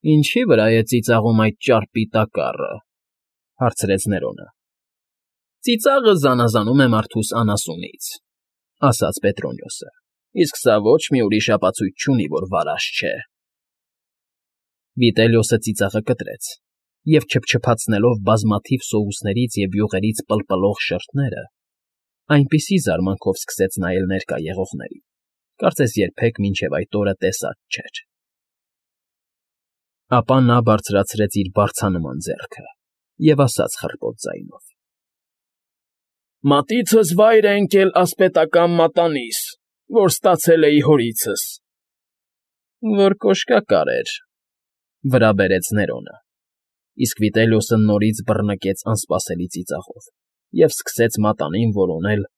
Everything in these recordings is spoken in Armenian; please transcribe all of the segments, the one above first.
Ինչի՞ վրա է ծիծաղում այդ ճարպի տակառը,֊ հարցրեց Ներոնը։ ֊ Ծիծաղը զանազանում է մարդուս անասունից,֊ ասաց Պետրոնիոսը,֊ իսկ սա ոչ մի ուրիշ ապացույց չունի, որ վարաշ չէ։ Վիտելիոսը ծիծաղը կտրեց և, չփչփացնելով բազմաթիվ սոուսներից և յուղերից պլպլող շրթները, այնպիսի զարմանքով սկսեց նայել ներկա եղողներին, կարծես երբեք մինչև այդ օրը տեսած չէր։ Ապա նա բարձրացրեց իր բարձանման ձեռքը և ասաց խռպոտ ձայնով. «Մատիցս վայր է ընկել ասպետական մատանիս, որ ստացել էի հորիցս»։ «Որ կոշկակար էր,֊ վրա բերեց Ներոնը, իսկ Վիտելիոսը նորից բռնկեց անսպասելի ծիծաղով և սկսեց մատանին որոնել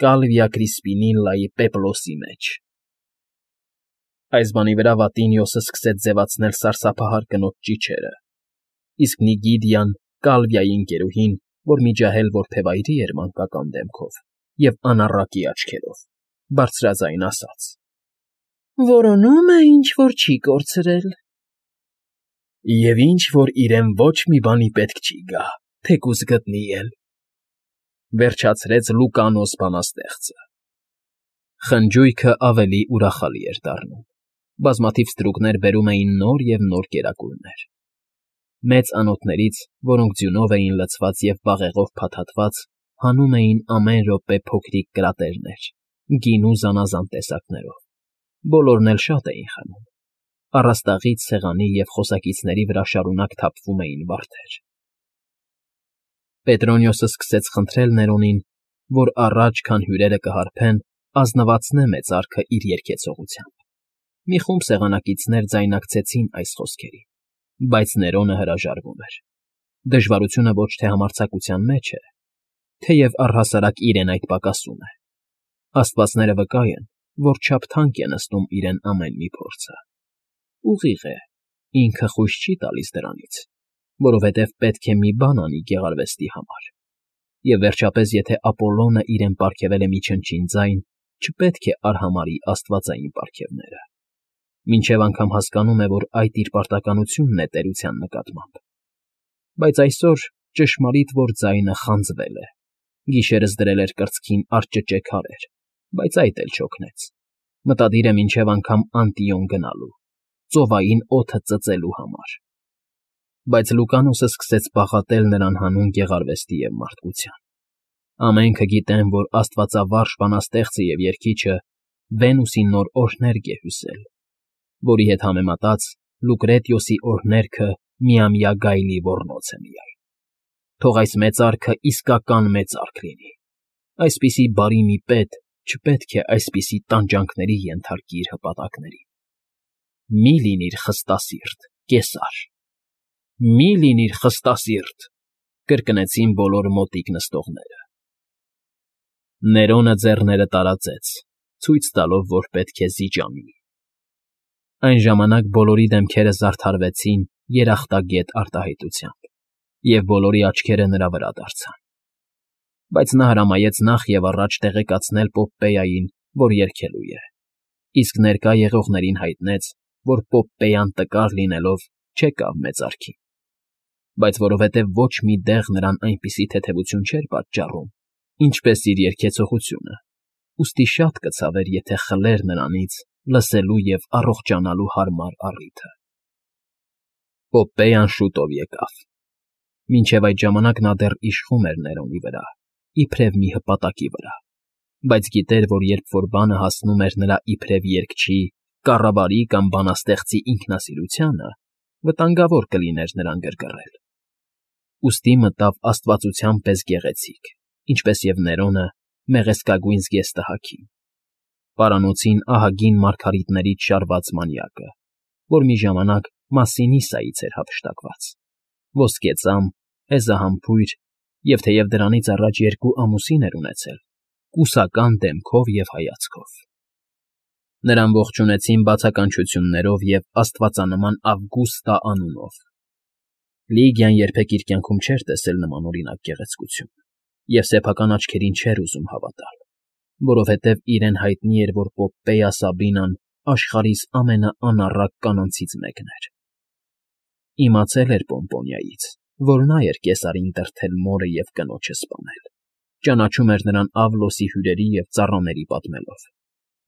Կալվիա Կրիսպինիլլայի պեպլոսի մեջ։ Այս բանի վրա Վատինիոսը սկսեց ձևացնել սարսափահար կնոջ ճիչերը, իսկ Նիգիդիան, Կալվիայի ընկերուհին, որ միջահել որբևայրի էր մանկական դեմքով և անառակի աչքերով, բարձրաձայն ասաց. «Որոնում է, ինչ֊որ չի կորցրել»։ «Եվ ինչ֊որ իրեն ոչ մի բանի պետք չի գա, թեկուզ գտնի էլ,֊ վերջացրեց Լուկանոս բանաստեղծը։ Խնջույքը ավելի ուրախալի էր դառնում, բազմաթիվ ստրուկներ բերում էին նոր և նոր կերակուրներ։ Մեծ անոթներից, որոնք ձյունով էին լցված և բաղեղով փաթաթված, հանում էին ամեն րոպե փոքրիկ կրատերներ, գինու զանազան տեսակներով, բոլորն էլ շատ էին խմում, առաստաղից, սեղանի և խոսակիցների վրա շարունակ թափվում էին վարդեր։ Պետրոնիոսը սկսեց խնդրել Ներոնին, որ առաջ, քան հյուրերը կհարբեն, ազնվացնե մեծարքը իր երգեցողությամբ։ Մի խումբ սեղանակիցներ ձայնակցեցին այս խոսքերին, բայց Ներոնը հրաժարվում էր։ Դժվարությունը ոչ թե համարձակության մեջ է, թեև առհասարակ իրեն այդ պակասում է։ Աստվածները վկա են, որ չափ թանկ է նստում իրեն ամեն մի փորձը։ Ուղիղ է, ինքը խույս չի տալիս դրանից, որովհետև պետք է մի բան անի գեղարվեստի համար, և վերջապես եթե Ապոլլոնը իրեն պարգևել է մի չնչին ձայն, չպետք է արհամարհի աստվածային պարգևները, մինչև անգամ հասկանում է, որ այդ իր պարտականությունն է տերության նկատմամբ։ Բայց այսօր ճշմարիտ որ ձայնը խանձվել է, գիշերս դրել էր կրծքին արճճե քարեր, բայց այդ էլ չօգնեց, մտադիր է մինչև անգամ Անտիոն գնալու, ծովային օդը ծծելու համար։ Բայց Լուկանոսը սկսեց բաղատել նրան հանուն գեղարվեստի և մարդկության։ Ամենքը գիտեն, որ աստվածավարժ բանաստեղծը և երգիչը Վենուսի նոր օրհներգ է հյուսել, որի հետ համեմատած Լուկրետիոսի օրհներգը միամյա գայլի ոռնոց է միայն։ Թող այս մեծարքը իսկական մեծարք լինի։ Այսպիսի բարի մի պետ չպետք է այսպիսի տանջանքների ենթարկի իր հպատակներին։ Մի՛ լինիր խստասիրտ, Կեսար, մի՛ լինիր խստասիրտ,֊ կրկնեցին բոլոր մոտիկ նստողները։ Ներոնը ձեռները տարածեց, ցույց տալով, որ պետք է զիջանի։ Այն ժամանակ բոլորի դեմքերը զարդարվեցին երախտագետ արտահայտությամբ, և բոլորի աչքերը նրա վրա դարձան։ Բայց նա հրամայեց նախ և առաջ տեղեկացնել Պոպպեյային, որ երգելու է, իսկ ներկա եղողներին հայտնեց, որ Պոպպեյան տկար լինելով չեկավ մեծարքին, բայց որովհետև ոչ մի դեղ նրան այնպիսի թեթևություն չէր պատճառում, ինչպես իր երգեցողությունը, ուստի շատ կցավեր, եթե խլեր նրանից լսելու և առողջանալու հարմար առիթը։ Պոպպեյան շուտով եկավ։ Մինչև այդ ժամանակ նա դեռ իշխում էր Ներոնի վրա, իբրև մի հպատակի վրա, բայց գիտեր, որ երբ որ բանը հասնում էր նրա իբրև երգչի, կառավարի կամ բանաստեղծի ինքնասիրությանը, վտանգավոր կլիներ նրան գրգռել։ Ուստի մտավ աստվածության պես գեղեցիկ, ինչպես և Ներոնը, մեղեստկագույն զգեստահագին, պարանոցին ահագին մարգարիտներից շարված մանյակը, որ մի ժամանակ Մասսինիսայից էր հափշտակված, ոսկեծամ, հեզահամբույր և թեև դրանից առաջ 2 ամուսին էր ունեցել, կուսական դեմքով և հայացքով։ Նրան ողջունեցին բացականչություններով և աստվածանման Ավգուստա անունով։ Լիգիան երբեք իր կյանքում չէր տեսել նմանօրինակ գեղեցկություն և սեփական աչքերին չէր ուզում հավատալ, որովհետև իրեն հայտնի էր, որ Պոպպեյա Սաբինան աշխարհիս ամենաանառակ կանանցից մեկն էր։ Իմացել էր Պոմպոնիայից, որ նա էր Կեսարին դրդել մորը և կնոջը սպանել, ճանաչում էր նրան Ավլոսի հյուրերի և ծառաների պատմելով,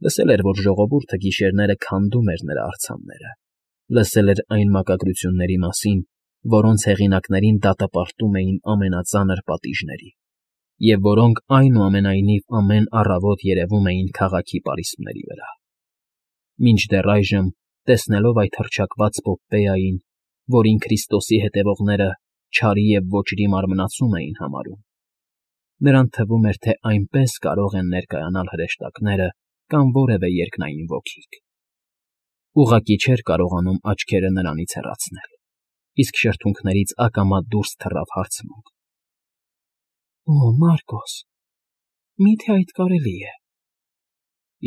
լսել էր, որ ժողովուրդը գիշերները քանդում էր նրա արձանները, լսել էր այն մակագրությունների մասին, որոնց հեղինակներին դատապարտում էին ամենածանր պատիժների, և որոնք այնուամենայնիվ ամեն առավոտ երևում էին քաղաքի պարիսպների վրա։ Մինչդեռ այժմ, տեսնելով այդ հռչակված Պոպպեային, որին Քրիստոսի հետևողները չարի և ոճրի մարմնացում էին համարում, նրան թվում էր, թե այնպես կարող են ներկայանալ հրեշտակները կամ որևէ երկնային ոգիք։ Ուղղակի չէր կարողանում աչքերը նրանից հեռացնել, իսկ շրթունքներից ակամա դուրս թռավ հարցմունք. «Օ, Մարկոս, մի՞թե այդ կարելի է»։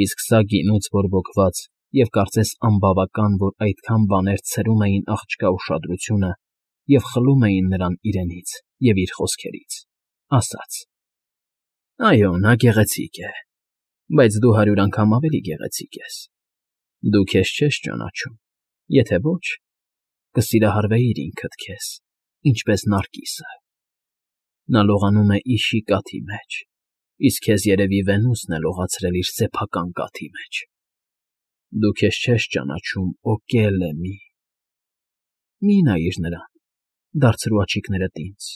Իսկ սա գինուց բորբոքված և կարծես անբավական, որ այդքան բաներ ցրում էին աղջկա ուշադրությունը և խլում էին նրան իրենից և իր խոսքերից, ասաց. «Այո, նա գեղեցիկ է, բայց դու 100 անգամ ավելի գեղեցիկ ես։ Դու քեզ չես ճանաչում, եթե ոչ, կսիրահարվեիր ինքդ քեզ, ինչպես Նարկիսը։ Նա լողանում է իշի կաթի մեջ, իսկ քեզ երևի Վենուսն է լողացրել իր սեփական կաթի մեջ։ Դու քեզ չես ճանաչում, Օկելլե, մի նայիր նրան, դարձրու աչիկներդ ինձ։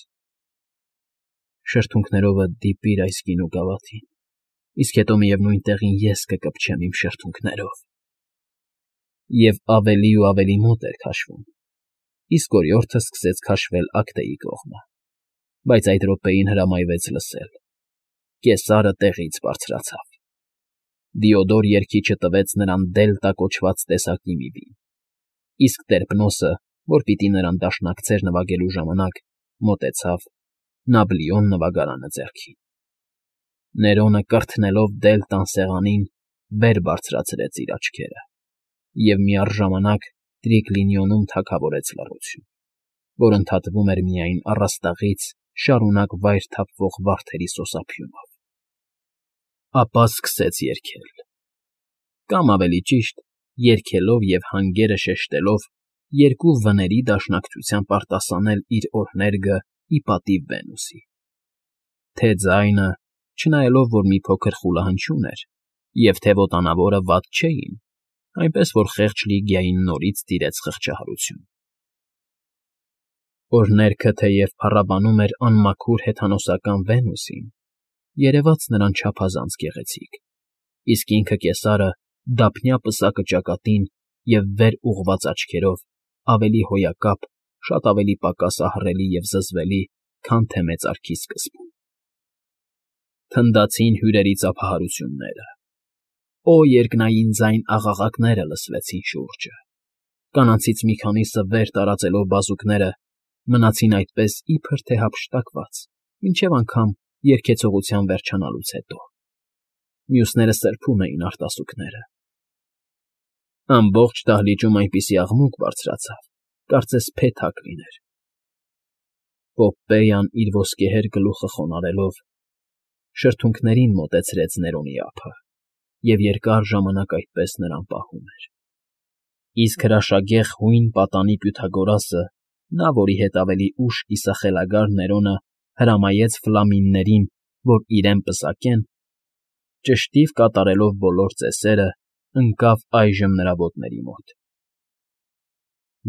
Շրթունքներովդ դիպիր այս գինու գավաթին, իսկ հետո միևնույն տեղին ես կկպչեմ իմ շրթունքներով»։ Եվ ավելի ու ավելի մոտ էր քաշվում, իսկ օրիորդը սկսեց քաշվել ակտեի կողմը, բայց այդ րոպեին հրամայվեց լսել. Կեսարը տեղից բարձրացավ։ Դիոդոր երգիչը տվեց նրան Դելտա կոչված տեսակի մի վին, իսկ Տերպնոսը, որ պիտի նրան դաշնակցեր նվագելու ժամանակ, մոտեցավ, Նաբլիոն նվագարանը ձեռքին։ Ներոնը կրթնելով Դելտան սեղանին, վեր բարձրացրեց իր աչքերը և միառժամանակ Տրիկլինիոնում թագավորեց լռություն, որ ընդհատվում էր միայն առաստաղից շարունակ վայր թափվող վարդերի սոսափյունով։ Ապա սկսեց երգել, կամ ավելի ճիշտ, երգելով և հանգերը շեշտելով երկու վների դաշնակցությամբ արտասանել իր օրհներգը ի պատիվ Վենուսի։ Թե ձայնը, չնայելով որ մի փոքր խուլահնչյուն էր, և թե ոտանավորը վատ չէին, այնպես որ խեղճ Լիգիային նորից տիրեց խղճահարություն։ Օրհներգը թեև փառաբանում էր անմաքուր հեթանոսական Վենուսին, երևաց նրան չափազանց գեղեցիկ, իսկ ինքը Կեսարը դափնյա պսակը ճակատին և վեր ուղղված աչքերով, ավելի հոյակապ, շատ ավելի պակաս ահռելի և զզվելի, քան թե մեծարգի սկզբում։ Թնդացին հյուրերի ծափահարությունները։ Օ երկնային ձայն աղաղակները լսվեցին շուրջը։ Կանանցից մի քանիսը վեր տարածելով բազուկները, մնացին այդպես իբր թե հափշտակված, մինչև անգամ երգեցողության վերջանալուց հետո։ Մյուսները սրբում էին արտասուքները։ Ամբողջ դահլիճում այնպիսի աղմուկ բարձրացավ, կարծես փեթակ լիներ։ Պոպպեյան իր ոսկեհեր գլուխը խոնարհելով, շրթունքներին մոտեցրեց Ներոնի ափը և երկար ժամանակ այդպես նրան պահում էր։ Իսկ հրաշագեղ հույն պատանի Պյութագորասը, նա, որի հետ ավելի ուշ կիսախելագար Ներոնը հրամայեց ֆլամիններին, որ իրեն պսակեն, ճշտիվ կատարելով բոլոր ծեսերը, ընկավ այժմ նրա ոտների մոտ։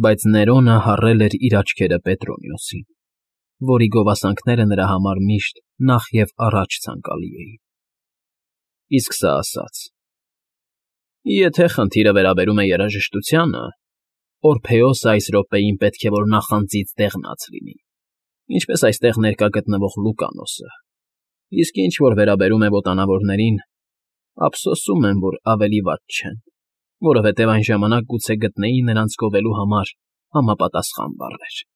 Բայց Ներոնը հառել էր իր աչքերը Պետրոնիոսին, որի գովասանքները նրա համար միշտ նախ և առաջ ցանկալի էին։ Իսկ սա ասաց. «Եթե խնդիրը վերաբերում է երաժշտությանը, Օրփեոսը այս րոպեին պետք է որ նախանձից դեղնած լինի, ինչպես այստեղ ներկա գտնվող Լուկանոսը, իսկ ինչ որ վերաբերում է ոտանավորներին, ափսոսում եմ, որ ավելի վատ չեն, որովհետև այն ժամանակ գուցե գտնեի նրանց գովելու համար համապատասխան բառեր»։